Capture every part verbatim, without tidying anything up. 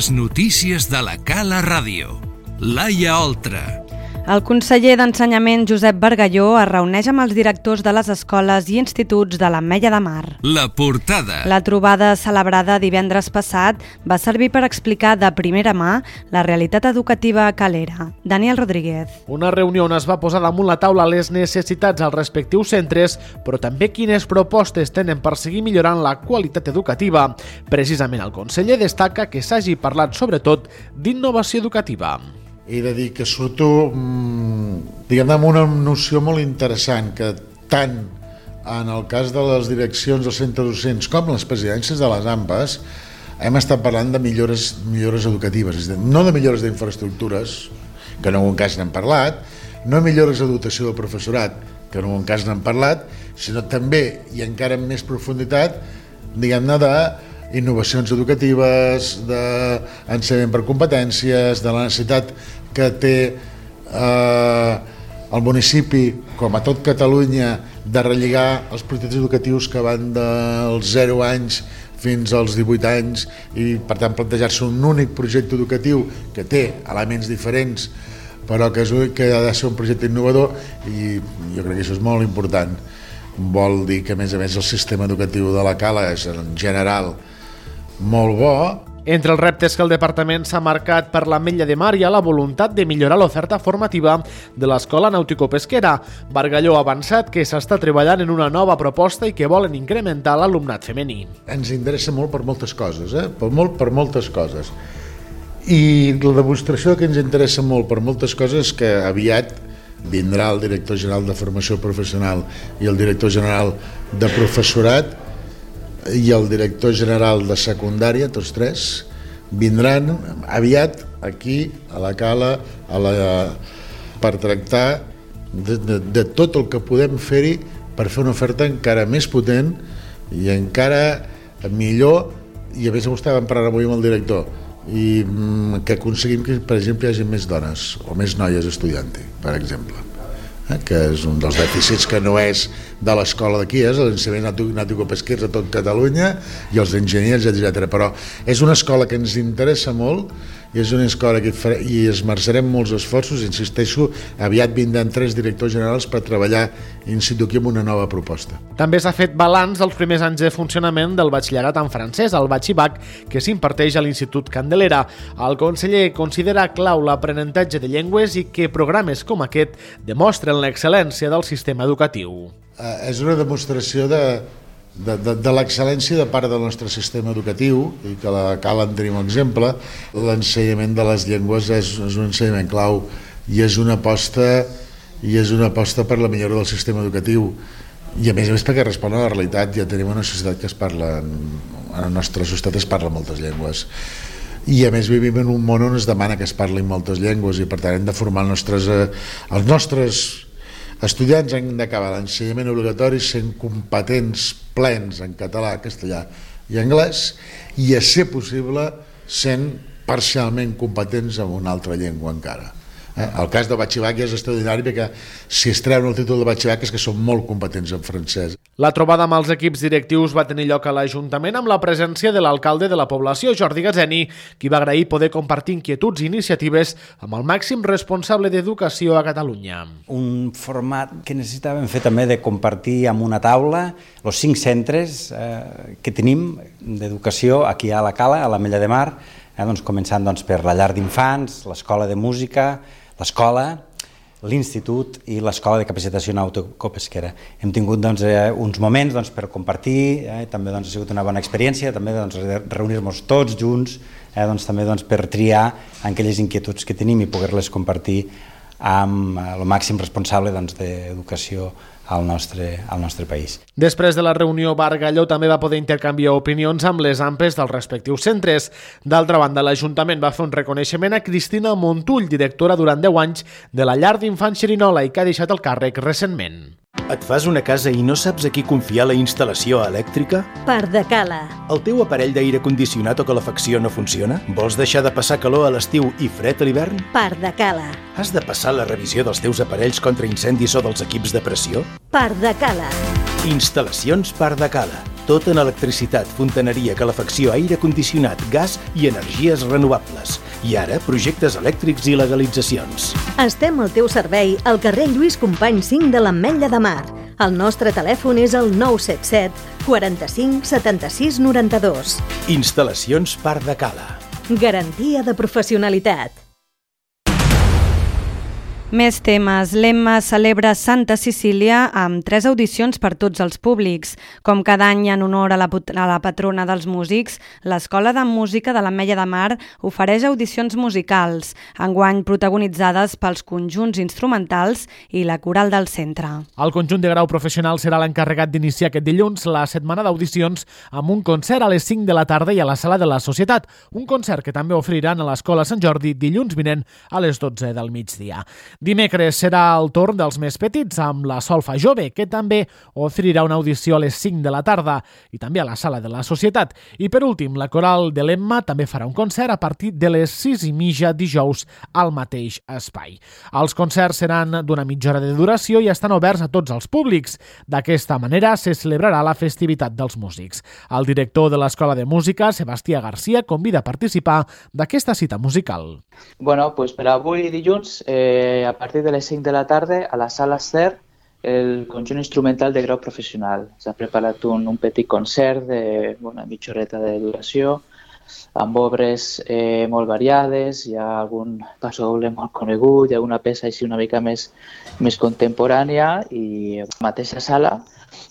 Les notícies de la Cala Ràdio. Laia Oltra. El conseller d'Ensenyament, Josep Bargalló, es reuneix amb els directors de les escoles i instituts de l'Ametlla de Mar. La portada. La trobada celebrada divendres passat va servir per explicar de primera mà la realitat educativa a Calera. Daniel Rodríguez. Una reunió on es va posar damunt la taula les necessitats als respectius centres, però també quines propostes tenen per seguir millorant la qualitat educativa. Precisament el conseller destaca que s'hagi parlat sobretot d'innovació educativa. He de dir que surto, diguem-ne, amb una noció molt interessant, que tant en el cas de les direccions dels centres docents com les presidències de les A M P A S hem estat parlant de millores, millores educatives, és a dir, no de millores d'infraestructures, que en algun cas n'hem parlat, no millores de dotació del professorat, que en algun cas n'hem parlat, sinó també, i encara amb més profunditat, diguem-ne, de innovacions educatives, d'ensenyament per competències, de la necessitat que té eh, el municipi, com a tot Catalunya, de relligar els projectes educatius que van dels zero anys fins als divuit anys i, per tant, plantejar-se un únic projecte educatiu que té elements diferents, però que, és, que ha de ser un projecte innovador, i jo crec que això és molt important. Vol dir que, a més a més, el sistema educatiu de la Cala és, en general, molt bo. Entre els reptes que el departament s'ha marcat per l'Ametlla de Mar hi ha la voluntat de millorar l'oferta formativa de l'Escola Nàutico-Pesquera. Bargalló ha avançat que s'està treballant en una nova proposta i que volen incrementar l'alumnat femení. Ens interessa molt per moltes coses, eh? per, molt, per moltes coses. I la demostració que ens interessa molt per moltes coses és que aviat vindrà el director general de formació professional i el director general de professorat i el director general de secundària, tots tres, vindran aviat aquí a la Cala a la, per tractar de, de, de tot el que podem fer-hi per fer una oferta encara més potent i encara millor, i a més ho estàvem parlant avui amb el director, i que aconseguim que, per exemple, hi hagi més dones o més noies estudiant-hi, per exemple, eh? que és un dels dèficits que no és de l'escola d'aquí, és l'ensenyament nàutico-pesquers a tot Catalunya i els enginyers, etcètera. Però és una escola que ens interessa molt i és una escola que farà, i esmerçarem molts esforços, insisteixo, aviat vindran tres directors generals per treballar in situ aquí amb una nova proposta. També s'ha fet balanç dels primers anys de funcionament del batxillerat en francès, el Batxibac, que s'imparteix a l'Institut Candelera. El conseller considera clau l'aprenentatge de llengües i que programes com aquest demostren l'excel·lència del sistema educatiu. Eh, és una demostració de, de, de, de l'excel·lència de part del nostre sistema educatiu, i que la Cala en tenim un exemple. L'ensenyament de les llengües és, és un ensenyament clau i és una aposta i és una aposta per la millora del sistema educatiu, i a més a més perquè respon a la realitat. Ja tenim una societat que es parla, en la nostra societat es parla moltes llengües, i a més vivim en un món on es demana que es parlin moltes llengües, i per tant hem de formar els nostres, els nostres estudiants, han d'acabar l'ensenyament obligatori sent competents plens en català, castellà i anglès, i a ser possible sent parcialment competents en una altra llengua encara. Eh? El cas del Batxibac és extraordinari perquè si es treuen el títol de Batxibac és que són molt competents en francès. La trobada amb els equips directius va tenir lloc a l'Ajuntament amb la presència de l'alcalde de la població, Jordi Gazzeni, qui va agrair poder compartir inquietuds i iniciatives amb el màxim responsable d'educació a Catalunya. Un format que necessitàvem fer també de compartir amb una taula els cinc centres eh, que tenim d'educació aquí a la Cala, a l'Ametlla de Mar, eh, doncs, començant doncs, per la llar d'infants, l'escola de música, l'escola, l'Institut i l'Escola de Capacitació Nàutico-Pesquera. Hem tingut doncs, eh, uns moments doncs, per compartir, eh, també doncs, ha sigut una bona experiència, també doncs, reunir-nos tots junts, eh, doncs, també doncs, per triar aquelles inquietuds que tenim i poder-les compartir amb el màxim responsable doncs, d'educació al nostre, al nostre país. Després de la reunió, Bargalló també va poder intercanviar opinions amb les A M P A S dels respectius centres. D'altra banda, l'Ajuntament va fer un reconeixement a Cristina Montull, directora durant deu anys de la llar d'infants Xerinola i que ha deixat el càrrec recentment. Et fas una casa i no saps a qui confiar la instal·lació elèctrica? Pardacala. El teu aparell d'aire condicionat o calefacció no funciona? Vols deixar de passar calor a l'estiu i fred a l'hivern? Pardacala. Has de passar la revisió dels teus aparells contra incendis o dels equips de pressió? Pardacala. Instal·lacions Pardacala. Tot en electricitat, fontaneria, calefacció, aire condicionat, gas i energies renovables. I ara, projectes elèctrics i legalitzacions. Estem al teu servei al carrer Lluís Companys cinc de l'Ametlla de Mar. El nostre telèfon és el nou set set quaranta-cinc setanta-sis noranta-dos. Instal·lacions Parc de Cala. Garantia de professionalitat. Més temes. L'Emma celebra Santa Cecília amb tres audicions per tots els públics. Com cada any en honor a la, a la patrona dels músics, l'Escola de Música de l'Ametlla de Mar ofereix audicions musicals, enguany protagonitzades pels conjunts instrumentals i la coral del centre. El conjunt de grau professional serà l'encarregat d'iniciar aquest dilluns la setmana d'audicions amb un concert a les cinc de la tarda i a la Sala de la Societat, un concert que també oferiran a l'Escola Sant Jordi dilluns vinent a les dotze del migdia. Dimecres serà el torn dels més petits amb la Solfa Jove, que també oferirà una audició a les cinc de la tarda i també a la Sala de la Societat. I per últim, la coral de l'Emma també farà un concert a partir de les sis i mitja dijous al mateix espai. Els concerts seran d'una mitja hora de duració i estan oberts a tots els públics. D'aquesta manera se celebrarà la festivitat dels músics. El director de l'Escola de Música, Sebastià Garcia, convida a participar d'aquesta cita musical. Bueno, pues per avui dilluns, eh, a partir de les cinc de la tarda, a la Sala Ester, el conjunt instrumental de grau professional. S'ha preparat un, un petit concert de una mitja horeta de duració, amb obres eh, molt variades, hi ha algun passo doble molt conegut, hi ha una peça així una mica més, més contemporània i a la mateixa sala,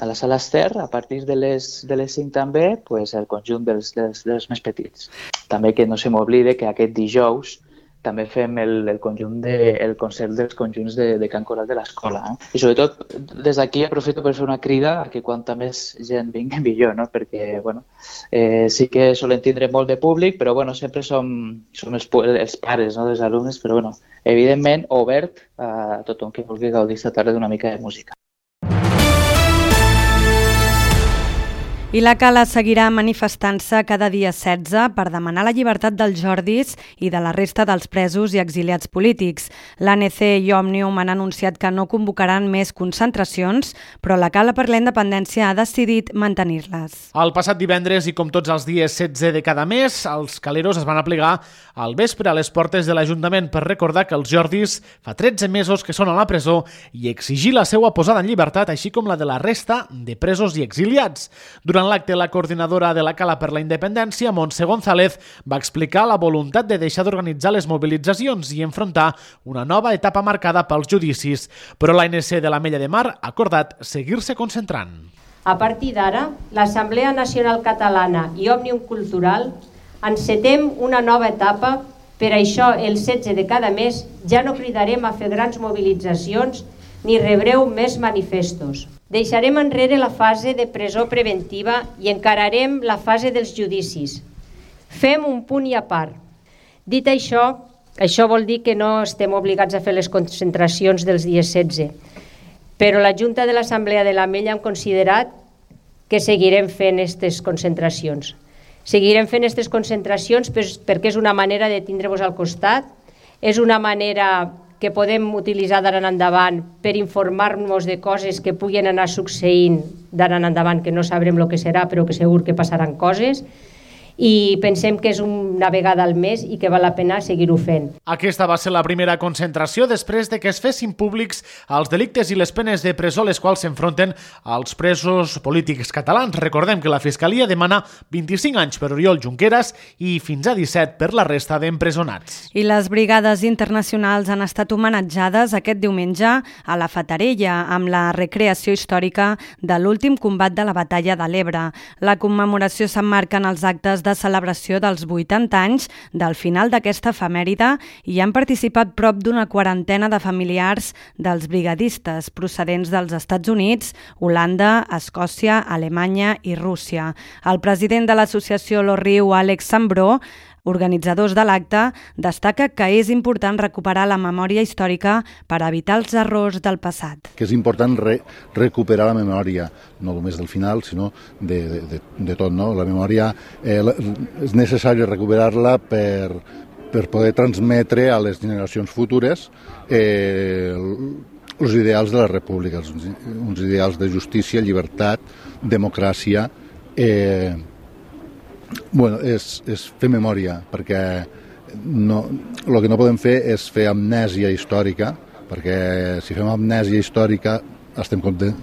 a la Sala Ester, a partir de les, de les cinc també, pues, el conjunt dels, dels, dels més petits. També que no se m'oblide que aquest dijous també fem el, el, conjunt de, el concert dels conjunts de, de cant coral de l'escola. Eh? I sobretot, des d'aquí aprofito per fer una crida a que quanta més gent vingui millor, no? Perquè bueno, eh, sí que solen tindre molt de públic, però bueno, sempre som, som els, els pares, no, dels alumnes, però bueno, evidentment obert a tothom que vulgui gaudir esta tarda d'una mica de música. I la Cala seguirà manifestant-se cada dia setze per demanar la llibertat dels Jordis i de la resta dels presos i exiliats polítics. L'A N C i Òmnium han anunciat que no convocaran més concentracions, però la Cala per la Independència ha decidit mantenir-les. El passat divendres i com tots els dies setze de cada mes, els caleros es van aplegar al vespre a les portes de l'Ajuntament per recordar que els Jordis fa tretze mesos que són a la presó i exigir la seva posada en llibertat, així com la de la resta de presos i exiliats. Durant Durant l'acte, la coordinadora de la Cala per la Independència, Montse González, va explicar la voluntat de deixar d'organitzar les mobilitzacions i enfrontar una nova etapa marcada pels judicis, però l'A N C de l'Ametlla de Mar ha acordat seguir-se concentrant. A partir d'ara, l'Assemblea Nacional Catalana i Òmnium Cultural encetem una nova etapa. Per això, el setze de cada mes ja no cridarem a fer grans mobilitzacions ni rebreu més manifestos. Deixarem enrere la fase de presó preventiva i encararem la fase dels judicis. Fem un punt i a part. Dit això, això vol dir que no estem obligats a fer les concentracions dels dies setze, però la Junta de l'Assemblea de l'Ametlla hem considerat que seguirem fent aquestes concentracions. Seguirem fent aquestes concentracions perquè és una manera de tindre-vos al costat, és una manera que podem utilitzar d'ara en endavant per informar-nos de coses que puguin anar succeint d'ara en endavant, que no sabrem el que serà, però que segur que passaran coses. I pensem que és una vegada al mes i que val la pena seguir-ho fent. Aquesta va ser la primera concentració després de que es fessin públics els delictes i les penes de presó les quals s'enfronten als presos polítics catalans. Recordem que la Fiscalia demana vint-i-cinc anys per Oriol Junqueras i fins a disset per la resta d'empresonats. I les brigades internacionals han estat homenatjades aquest diumenge a la Fatarella amb la recreació històrica de l'últim combat de la batalla de l'Ebre. La commemoració s'emmarca en els actes de celebració dels vuitanta anys del final d'aquesta efemèride i han participat prop d'una quarantena de familiars dels brigadistes procedents dels Estats Units, Holanda, Escòcia, Alemanya i Rússia. El president de l'associació Lo Riu, Àlex Sambró, organitzadors de l'acte, destaca que és important recuperar la memòria històrica per evitar els errors del passat. Que és important re recuperar la memòria, no només del final, sinó de, de, de tot. No? La memòria eh, és necessari recuperar-la per, per poder transmetre a les generacions futures eh, els ideals de la república, uns ideals de justícia, llibertat, democràcia eh, bueno, és, és fer memòria, perquè no, el que no podem fer és fer amnèsia històrica, perquè si fem amnèsia històrica estem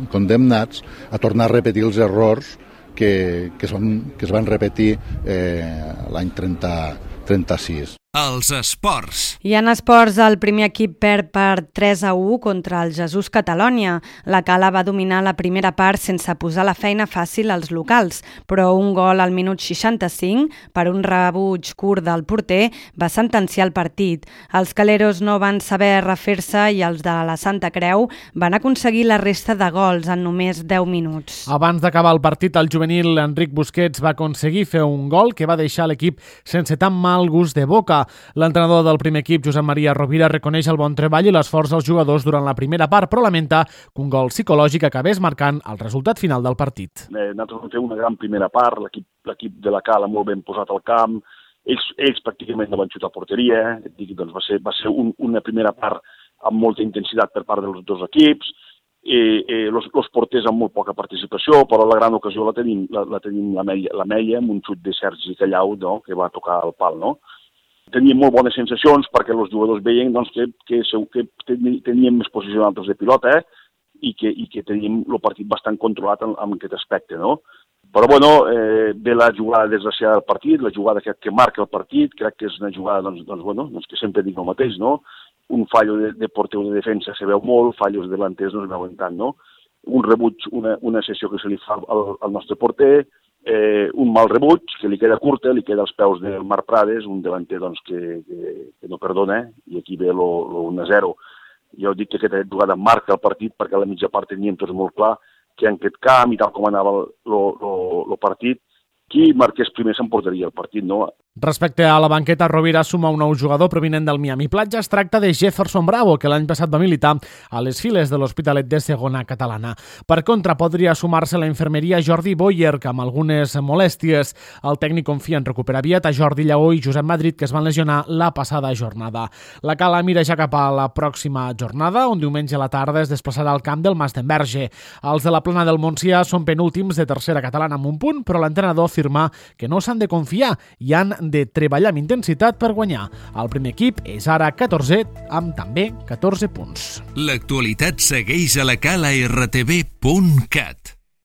condemnats a tornar a repetir els errors que, que, es, van, que es van repetir eh, l'any trenta, trenta-sis. Els esports. I en esports, el primer equip perd per tres a u contra el Jesús Catalònia. La Cala va dominar la primera part sense posar la feina fàcil als locals, però un gol al minut seixanta-cinc, per un rebuig curt del porter, va sentenciar el partit. Els caleros no van saber refer-se i els de la Santa Creu van aconseguir la resta de gols en només deu minuts. Abans d'acabar el partit, el juvenil Enric Busquets va aconseguir fer un gol que va deixar l'equip sense tan mal gust de boca. L'entrenador del primer equip, Josep Maria Rovira, reconeix el bon treball i l'esforç dels jugadors durant la primera part, però lamenta que un gol psicològic acabés marcant el resultat final del partit. Eh, nosaltres vam fer una gran primera part, l'equip de la Cala molt ben posat al camp, ells, ells pràcticament no van xutar a porteria, dic, doncs va ser, va ser un, una primera part amb molta intensitat per part dels dos equips, eh, eh, los, los porters amb molt poca participació, però la gran ocasió la tenim la, la, tenim la, Meia, la Meia amb un xut de Sergi Callau, no?, que va tocar el pal, no? Teníem molt bones sensacions perquè els jugadors veien doncs, que, que, que teníem més posició altres de pilota eh? I, que, i que teníem el partit bastant controlat en, en aquest aspecte. No? Però bueno, eh, ve la jugada desgraciada del partit, la jugada que, que marca el partit, crec que és una jugada doncs, doncs, bueno, doncs que sempre dic el mateix, no? Un fallo de, de porter o de defensa se veu molt, fallos de delanters no es veuen tant, no? Un rebuig, una, una sessió que se li fa al, al nostre porter, Eh, un mal rebuig, que li queda curta, li queda als peus del Marc Prades, un delanter doncs, que, que, que no perdona, i aquí ve l'u a zero. Jo dic que aquesta jugada marca el partit perquè a la mitja part teníem tots molt clar que en aquest camp i tal com anava el partit, qui marqués primer s'emportaria el partit, no? Respecte a la banqueta, Rovira suma un nou jugador provinent del Miami Platja. Es tracta de Jefferson Bravo, que l'any passat va militar a les files de l'Hospitalet de segona catalana. Per contra, podria sumar-se la infermeria Jordi Boyer, que amb algunes molèsties. El tècnic confia en recuperar aviat a Jordi Lleó i Josep Madrid, que es van lesionar la passada jornada. La Cala mira ja cap a la pròxima jornada, on diumenge a la tarda es desplaçarà al camp del Mas d'Enverge. Els de la Plana del Montsià són penúltims de tercera catalana amb un punt, però l'entrenador afirma que no s'han de confiar i han de treballar amb intensitat per guanyar. El primer equip és ara catorzè amb també catorze punts. L'actualitat segueix a la cala r t v punt cat.